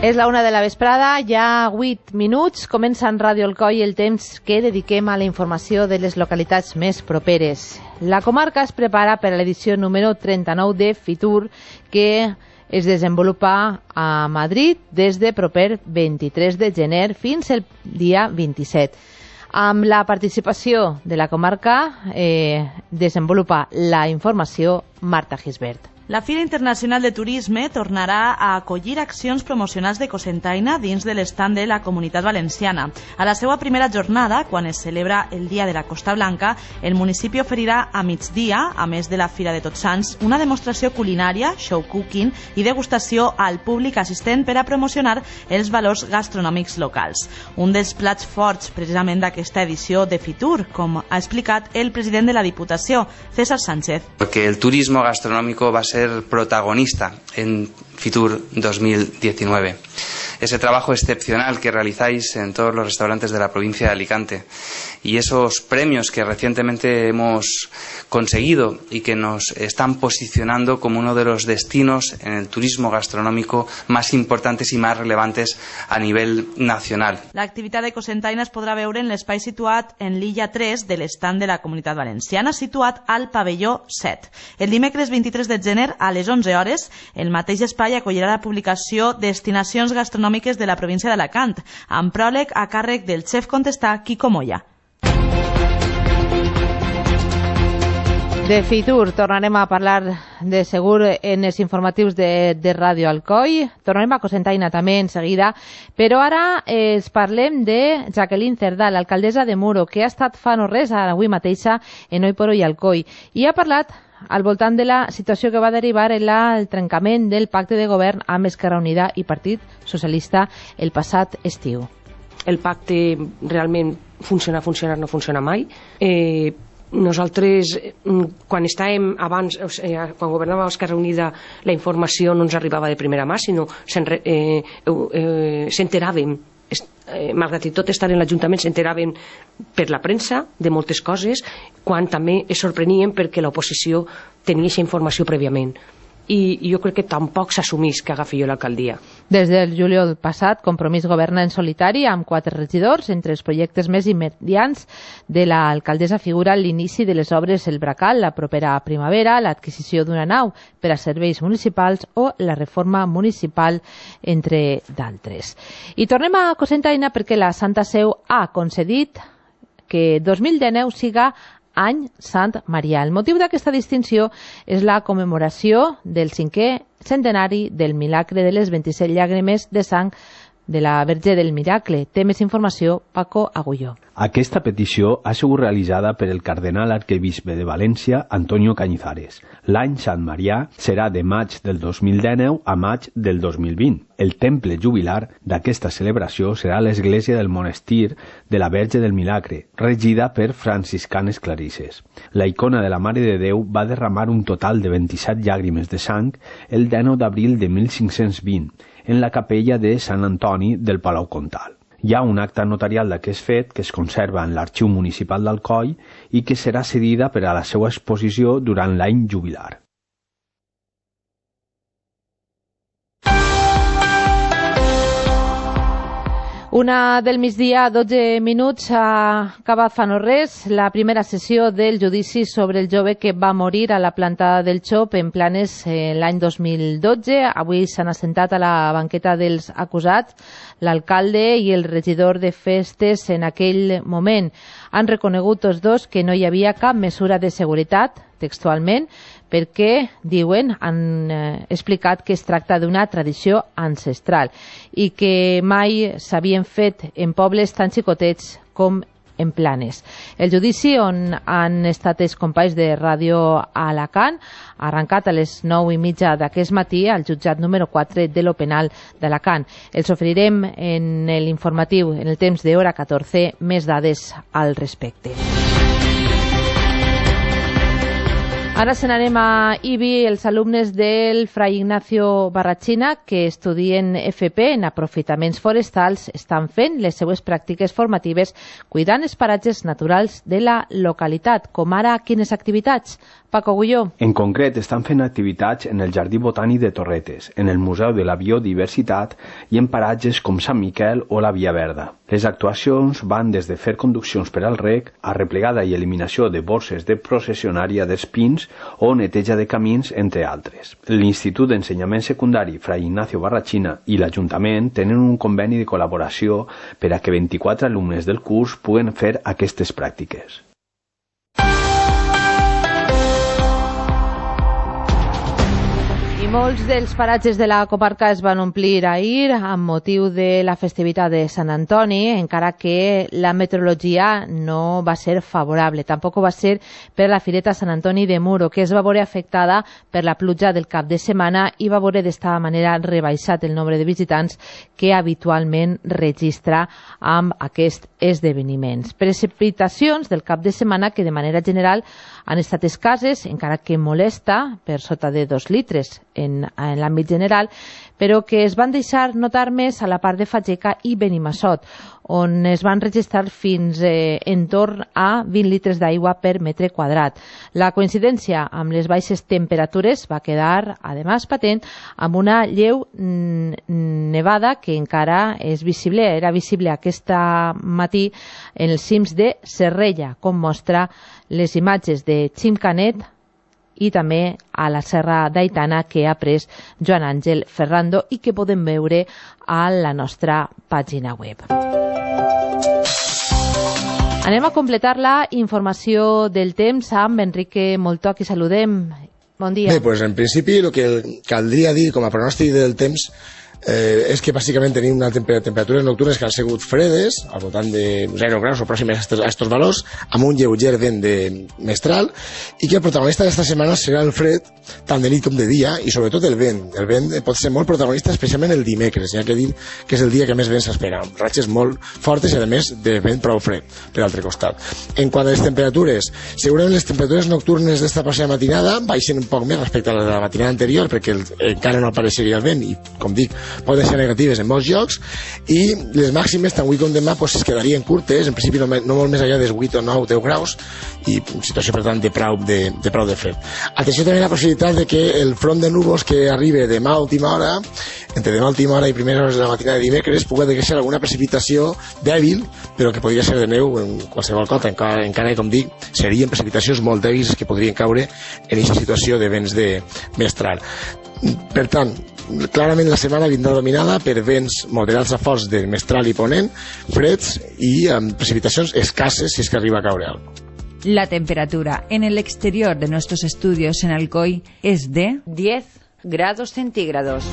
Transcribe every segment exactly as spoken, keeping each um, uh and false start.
És la una de la vesprada, ja vuit minuts, comença en Ràdio Alcoi el temps que dediquem a la informació de les localitats més properes. La comarca es prepara per a l'edició número trenta-nou de Fitur, que es desenvolupa a Madrid des de proper vint-i-tres de gener fins el dia vint-i-set. Amb la participació de la comarca eh, desenvolupa la informació Marta Gisbert. La Fira Internacional de Turisme tornarà a acollir accions promocionals de Cocentaina dins de l'estand de la Comunitat Valenciana. A la seva primera jornada, quan es celebra el Dia de la Costa Blanca, el municipi oferirà a migdia, a més de la Fira de Tots Sants, una demostració culinària, show cooking i degustació al públic assistent per a promocionar els valors gastronòmics locals. Un dels plats forts precisament d'aquesta edició de Fitur, com ha explicat el president de la Diputació, César Sánchez. Porque el turismo gastronómico va a ser protagonista en Fitur dos mil diecinueve. Ese trabajo excepcional que realizáis en todos los restaurantes de la provincia de Alicante y esos premios que recientemente hemos conseguido y que nos están posicionando como uno de los destinos en el turismo gastronómico más importantes y más relevantes a nivel nacional. L'activitat de Cocentaina es podrà veure en l'espai situat en l'illa tres de l'estand de la Comunitat Valenciana, situat al pavelló set. El dimecres vint-i-tres de gener a les onze hores, el mateix espai acollirà la publicació Destinacions gastronòmiques de la província d'Alacant, amb pròleg a càrrec del xef contestà Quico Moya. De Fitur tornarem a parlar de segur en els informatius de, de Ràdio Alcoi. Tornarem a Cocentaina també en seguida, però ara es parlem de Jacqueline Cerdà, l'alcaldessa de Muro, que ha estat fa no res avui mateixa en Oi por Oi Alcoi, i ha parlat al voltant de la situació que va derivar en el trencament del pacte de govern amb Esquerra Unida i Partit Socialista el passat estiu. El pacte realment funciona, funciona, no funciona mai. Eh, nosaltres, quan estàvem abans, o sigui, quan governava Esquerra Unida, la informació no ens arribava de primera mà, sinó eh, eh, s'enteràvem. Eh, malgrat i tot estar en l'Ajuntament, s'enteraven per la premsa de moltes coses, quan també es sorprenien perquè l'oposició tenia aquesta informació prèviament. I jo crec que tampoc s'assumís que agafi jo l'alcaldia. Des del juliol passat, Compromís governa en solitari amb quatre regidors. Entre els projectes més immediats de l'alcaldessa figura l'inici de les obres El Bracal la propera primavera, l'adquisició d'una nau per a serveis municipals o la reforma municipal, entre d'altres. I tornem a Cocentaina perquè la Santa Seu ha concedit que dos mil dinou siga any Sant Marià. El motiu d'aquesta distinció és la commemoració del cinquè centenari del milagre de les vint-i-set llàgrimes de sang de la Verge del Miracle. Té més informació Paco Agulló. Aquesta petició ha sigut realitzada per el cardenal arquebisbe de València, Antonio Cañizares. L'any Sant Marià serà de maig del dos mil dinou a maig del dos mil vint. El temple jubilar d'aquesta celebració serà l'església del monestir de la Verge del Milagre, regida per franciscanes clarisses. La icona de la Mare de Déu va derramar un total de vint-i-set llàgrimes de sang el dinou d'abril de mil cinc-cents vint en la capella de Sant Antoni del Palau Comtal. Hi ha un acta notarial d'aquest fet que es conserva en l'Arxiu Municipal d'Alcoi i que serà cedida per a la seva exposició durant l'any jubilar. Una del migdia, dotze minuts, ha acabat fa no res la primera sessió del judici sobre el jove que va morir a la planta del Xop en Planes eh, l'any dos mil dotze. Avui s'han assentat a la banqueta dels acusats l'alcalde i el regidor de festes en aquell moment. Han reconegut tots dos que no hi havia cap mesura de seguretat, textualment, perquè, diuen, han eh, explicat que es tracta d'una tradició ancestral i que mai s'havien fet en pobles tan xicotets com en Planes. El judici on han estat els companys de Ràdio Alacant ha arrencat a les nou i mitja d'aquest matí al jutjat número quatre de lo penal d'Alacant. Els oferirem en l'informatiu, en el temps de hora catorze, més dades al respecte. Ara se n'anem a Ibi. Els alumnes del Fray Ignacio Barrachina que estudien F P en aprofitaments forestals estan fent les seues pràctiques formatives cuidant els paratges naturals de la localitat. Com ara, quines activitats? Paco Gulló. En concret, estan fent activitats en el Jardí Botànic de Torretes, en el Museu de la Biodiversitat i en paratges com Sant Miquel o la Via Verda. Les actuacions van des de fer conduccions per al rec a replegada i eliminació de bosses de processionària d'espins o neteja de camins, entre altres. L'Institut d'Ensenyament Secundari Fray Ignacio Barrachina i l'Ajuntament tenen un conveni de col·laboració per a que vint-i-quatre alumnes del curs puguen fer aquestes pràctiques. Molts dels paratges de la comarca es van omplir ahir amb motiu de la festivitat de Sant Antoni, encara que la meteorologia no va ser favorable. Tampoc va ser per la Fireta Sant Antoni de Muro, que es va veure afectada per la pluja del cap de setmana i va veure d'esta manera rebaixat el nombre de visitants que habitualment registra amb aquests esdeveniments. Precipitacions del cap de setmana que de manera general han estat escasses, encara que molesta, per sota de dos litres en, en l'àmbit general, però que es van deixar notar més a la part de Fageca i Benimassot, on es van registrar fins eh, en torn a vint litres d'aigua per metre quadrat. La coincidència amb les baixes temperatures va quedar, a més, patent, amb una lleu nevada que encara és visible, era visible aquest matí en els cims de Serrella, com mostra les imatges de Ximcanet i també a la Serra d'Aitana que ha pres Joan Àngel Ferrando i que podem veure a la nostra pàgina web. Anem a completar la informació del temps amb Enrique Moltó, qui saludem. Bon dia. Bé, doncs en principi el que caldria dir com a pronòstic del temps Eh, és que bàsicament tenim una temper temperatures nocturnes que han sigut fredes, al voltant de zero graus o pròximes a aquests valors, amb un lleuger vent de mestral, i que el protagonista d'aquesta setmana serà el fred, tant de nit com de dia, i sobretot el vent. El vent pot ser molt protagonista, especialment el dimecres, ja que dit que és el dia que més vent s'espera, amb ratxes molt fortes i a més de vent prou fred, per l'altre costat. En quant a les temperatures, segurament les temperatures nocturnes d'esta passada matinada baixen un poc més respecte a la de la matinada anterior, perquè el, encara no apareixeria el vent, i com dic, poden ser negatives en molts llocs, i les màximes tant avui com demà pues, es quedarien curtes, en principi no, no molt més enllà dels vuit o nou deu graus, i situació per tant de prou de, de, prou de fred. Atenció també a la possibilitat de que el front de núvols que arribi demà a última hora, entre demà a última hora i primeres hores de la matinada de dimecres, pugui deixar alguna precipitació dèbil, però que podria ser de neu en qualsevol cosa, encara, encara com dic, serien precipitacions molt dèbils que podrien caure en aquesta situació de vents de mestral. Per tant, clarament la setmana vindrà dominada per vents moderats a forts de mestral i ponent, freds i amb precipitacions escasses si és que arriba a caure alguna cosa. La temperatura en el exterior de nuestros estudios en Alcoy es de diez grados centígrados.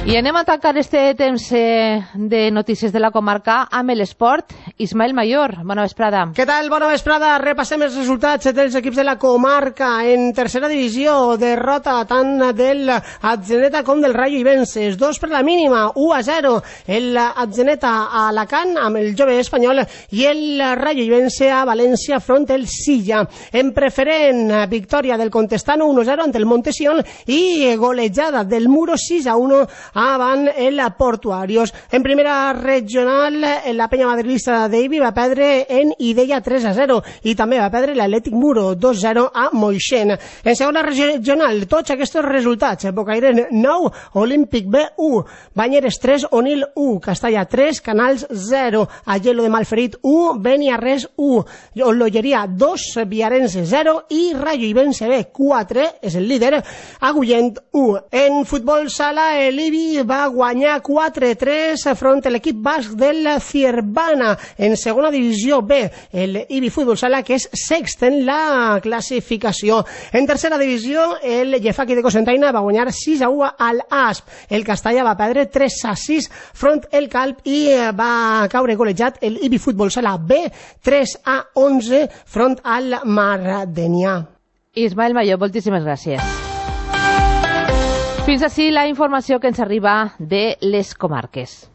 I anem a tancar este temps eh, de notícies de la comarca amb l'esport. Ismael Mayor, bona vesprada. Què tal? Bona vesprada. Repassem els resultats dels equips de la comarca. En tercera divisió, derrota tant del Atzeneta com del Rayo Ibenses. Dos per la mínima, u a zero. El Atzeneta a Alacant amb el jove espanyol i el Rayo Ibense a València front el Silla. En preferent, victòria del Contestano uno a zero ante el Montesión i golejada del Muro sis a uno avant el Portuarios. En primera regional, la penya madrilista d'Ibi va perdre en Ideia tres a zero i també va perdre l'Atlètic Muro dos a zero a Moixent. En segona regional, tots aquests resultats: Bocairen nou, Olímpic B u, Banyeres tres, Onil u, Castalla tres, Canals zero, Agelo de Malferit u, Beniarrés u, Ololleria dos, Viarense zero i Rayo Ibense B quatre, és el líder, Agullent u. En futbol sala, l'Ibi va guanyar quatre a tres front a l'equip basc del Ciervana. En segona divisió B, el Ibi Futbol Sala, que és sext en la classificació. En tercera divisió, el Llefaqui de Cocentaina va guanyar sis a u al Asp. El Castalla va perdre tres a sis front el Calp i va caure golejat el Ibi Futbol Sala B tres a onze front al Mardenià. Ismael Mayor, moltíssimes gràcies. Fins així la informació que ens arriba de les comarques.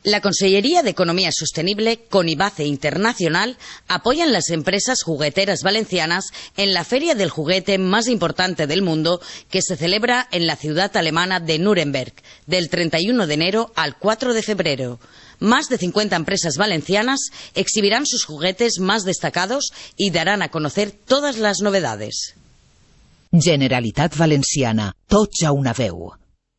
La Consellería de Economía Sostenible, con IBACE Internacional, apoyan las empresas jugueteras valencianas en la feria del juguete más importante del mundo, que se celebra en la ciudad alemana de Nuremberg, del treinta y uno de enero al cuatro de febrero. Más de cincuenta empresas valencianas exhibirán sus juguetes más destacados y darán a conocer todas las novedades. Generalitat Valenciana, tots a una veu.